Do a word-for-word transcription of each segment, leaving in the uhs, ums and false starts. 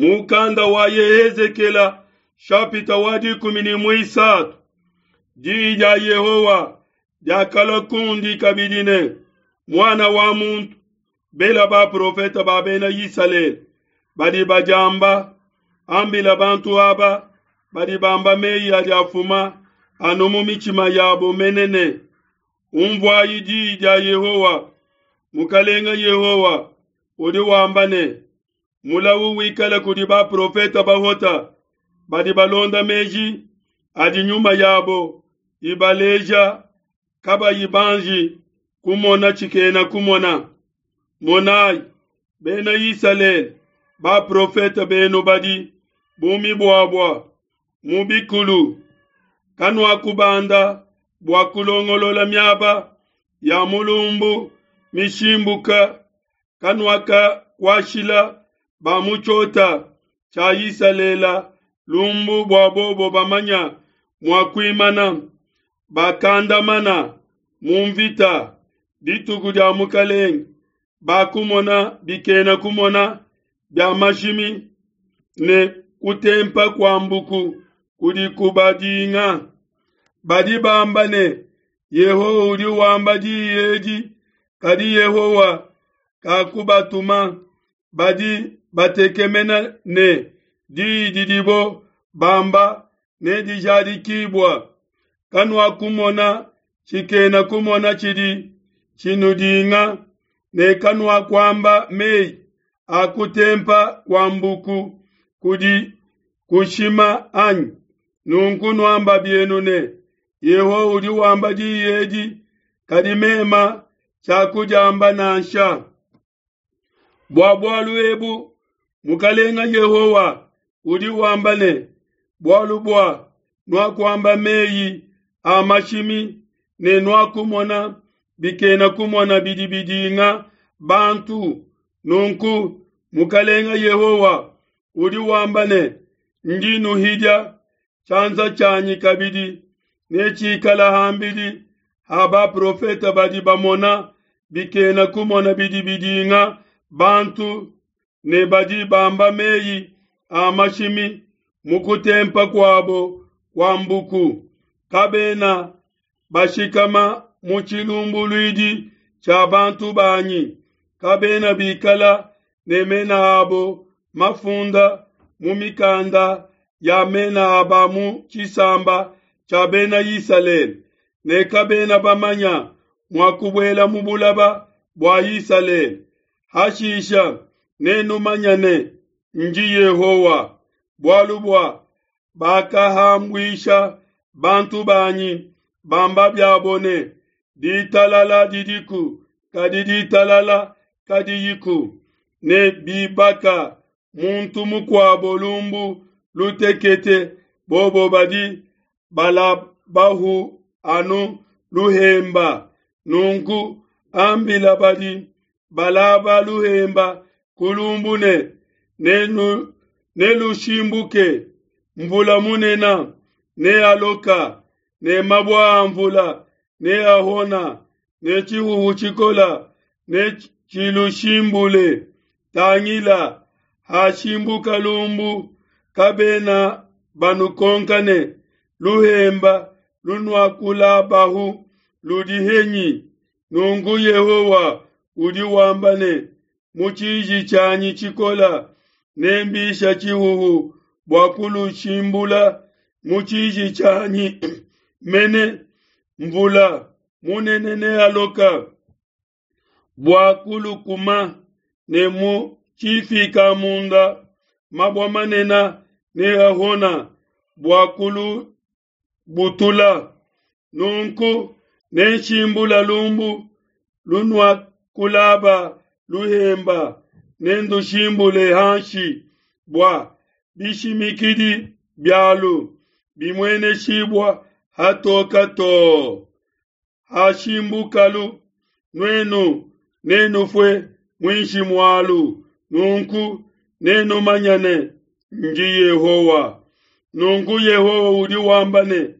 Mukanda wa Yehezekela shapita wa dikumi ne muisatu. Diyi dia Yehowa diakalua kundi kabidi ne, muana wa muntu, bela baprofete ba bena Isalele badi badiamba, ambila bantu aba badi bamba meyi adi afuma anu mu mitshima yabo mene ne, umvuayi diyi dia Yehowa. Mukalenga Yehowa udi wamba ne, mulawu wikale kudi baprofete bahota badi balonda meji adi nyuma yabo ibaleja kabayi banji kumona tshikena kumona. Monayi, bena Isalele, baprofete benu badi bu mibuabua mu bikulu, kanuakubanda bua kulongolola miaba ya mulumbu mishimbuka, kanuakakuashila ba mu tshiota tshia Isalele lumbu bua bobo bamanya mua kuimana bakandamana mu mvita dituku dia mukalenge. Bakumona bikena kumona bia mashimi ne kutempa kua mbuku kudi kubadinga. Badi bamba ne, Yehowa udi wamba diyi edi, kadi Yehowa kakubatuma. Badi batekemena ne diyi didibo bamba nedijadikibua. Kanuakumona tshikena kumona tshidi tshinudinga, ne kanuakuamba meyi a kutempa kua mbuku kudi kushima anyi? Nunku nuamba bienu ne, Yehowa udi wamba diyi edi, kadi mema tshiakudiamba nansha. Bua bualu ebu Mukalenga Yehowa udi wamba ne, bualu bua nuakuamba meyi a mashimi ne nuakumona bikena kumona bidi bidinga bantu. Nunku Mukalenga Yehowa udi wamba ne, ndi nuhidia tshianza tshianyi kabidi netshikala hambidi ha baprofete badi bamona bikena kumona bidi bidinga bantu ne badi bamba meyi a mashimi mu kutempa kuabo kua mbuku. Kabena bashikama mu tshilumbuluidi tshia bantu banyi, kabena bikala ne mena abo mafunda mu mikanda ya mena aba mu tshisamba tshia bena Isalele, ne kabena bamanya mua kubuela mu bulaba bua Isalele. Hashisha nenumanya ne ndi Yehowa, bualu bua bakahambuisha bantu banyi bamba biabo ne, ditalala didiku, kadi ditalala kadiyiku, ne bibaka muntu mukuabo lumbu lutekete, bobo badi balabahu anu luhemba. Nunku ambila badi balaba luhemba kulumbu ne, nenu nelushimbuke, mvula munene nealoka, ne mabua a mvula neahona, ne tshihuhu tshikola ne tshilushimbule. Tangila, hashimbuka lumbu, kabena banukonka ne, luhemba lunuakulabahu ludi henyi? Nunku Yehowa udi wamba ne, mu tshiji tshianyi tshikola nembisha tshihuhu bua kulushimbula, mu tshiji tshianyi mene mvula munene nealoka bua kulukuma, ne mu tshifika munda mabua manene neahona bua kulubutula. Nunku nenshimbula lumbu lunuakulaba luhemba, nendushimbule hanshi bua bishimikidi bialu bimueneshibua hatoka to. Hashimbukalu, nuenu nenufue muinshi mualu, nunku nenumanya ne ndi Yehowa. Nunku Yehowa udi wamba ne,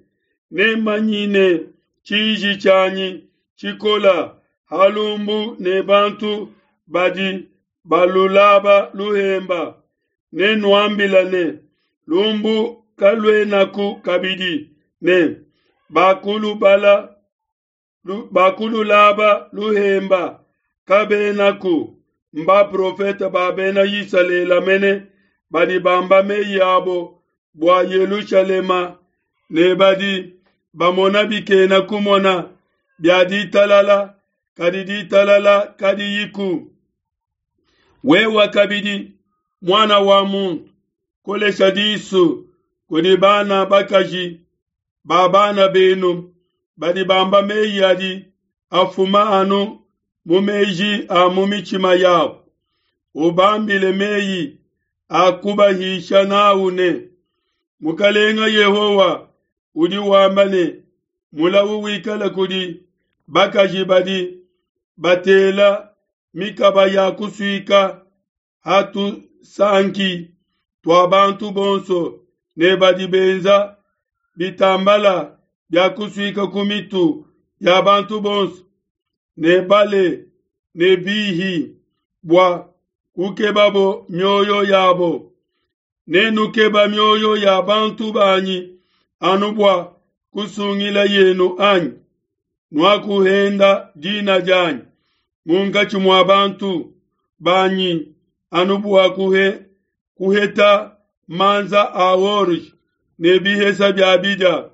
nemanyine tshiji tshianyi tshikola halumbu ne bantu badi balulaba luhemba, Nenuambila ne, lumbu kaluenaku kabidi, ne bakulubala bakululaba luhemba kabenaku. Mbaprofete ba bena Isalele mene badi bamba meyi abo bua Yelushalema ne badi bamona bikena kumona bia ditalala, kadi ditalala kadiyiku. Wewe kabidi, muana wa muntu, kolesha disu kudi bana bakaji ba bana benu badi bamba meyi adi afuma anu mu meji a mu mitshima yabo. Ubambile meyi a kubahisha nawu ne, Mukalenga Yehowa udi wamba ne, mulawu wikale kudi bakaji badi batela mikaba ya kusuika ha tusanki tua bantu bonso ne badi benza bitambala bia kusuika ku mitu ya bantu bonso ne bale ne bihi bua kukebabo mioyo yabo. Nenukeba mioyo ya bantu banyi anu bua kusungila yenu anyi? Nuakuhenda dina dianyi munkatshi mua bantu banyi anu bua kuhe, kuheta manza a orge ne bihesa bia bidia.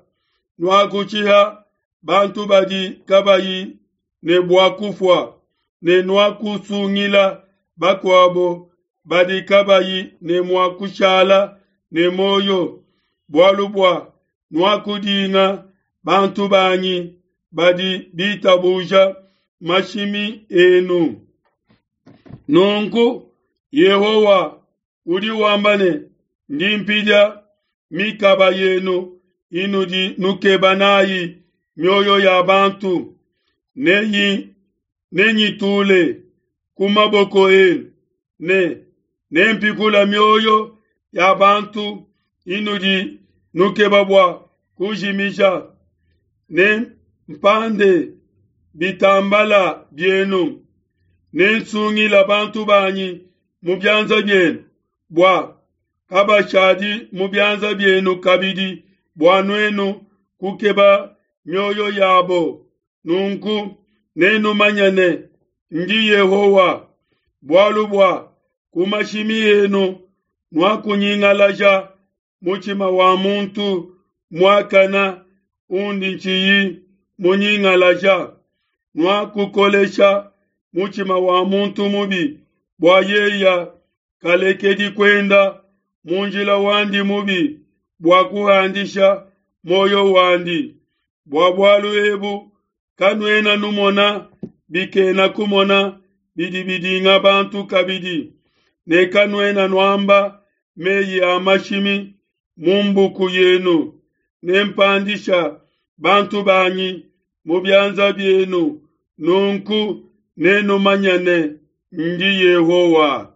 Nuakutshiha bantu badi kabayi ne bua kufua, ne nuakusungila bakuabo badi kabayi ne mua kushala ne muoyo, bualu bua nuakudinga bantu banyi badi bitabuja mashimi enu. Nunku Yehowa udi wamba ne, ndi mpidia mikaba yenu inudi nukeba nayi mioyo ya bantu, neyi nenyitule ku maboko enu, ne nempikula mioyo ya bantu inudi nukeba bua kujimija. Nempande bitambala bienu, nensungila bantu banyi mu bianza bienu, bua kabashadi mu bianza bienu kabidi, bua nuenu kukeba mioyo yabo. Nunku nenumanye ne, ndi Yehowa, bualu bua ku mashimi enu nuakunyingalaja mutshima wa muntu muakana undi ntshiyi munyingalaja. Nuakukolesha mutshima wa muntu mubi bua yeya kalekedi kuenda mu njila wandi mubi bua kuhandisha muoyo wandi. Bua bualu ebu kanuena numona bikena kumona bidi bidinga bantu kabidi, ne kanuena nuamba meyi a mashimi mu mbuku yenu. Nempandisha bantu banyi mu bianza bienu, nunku nenumanye ne, ndi Yehowa.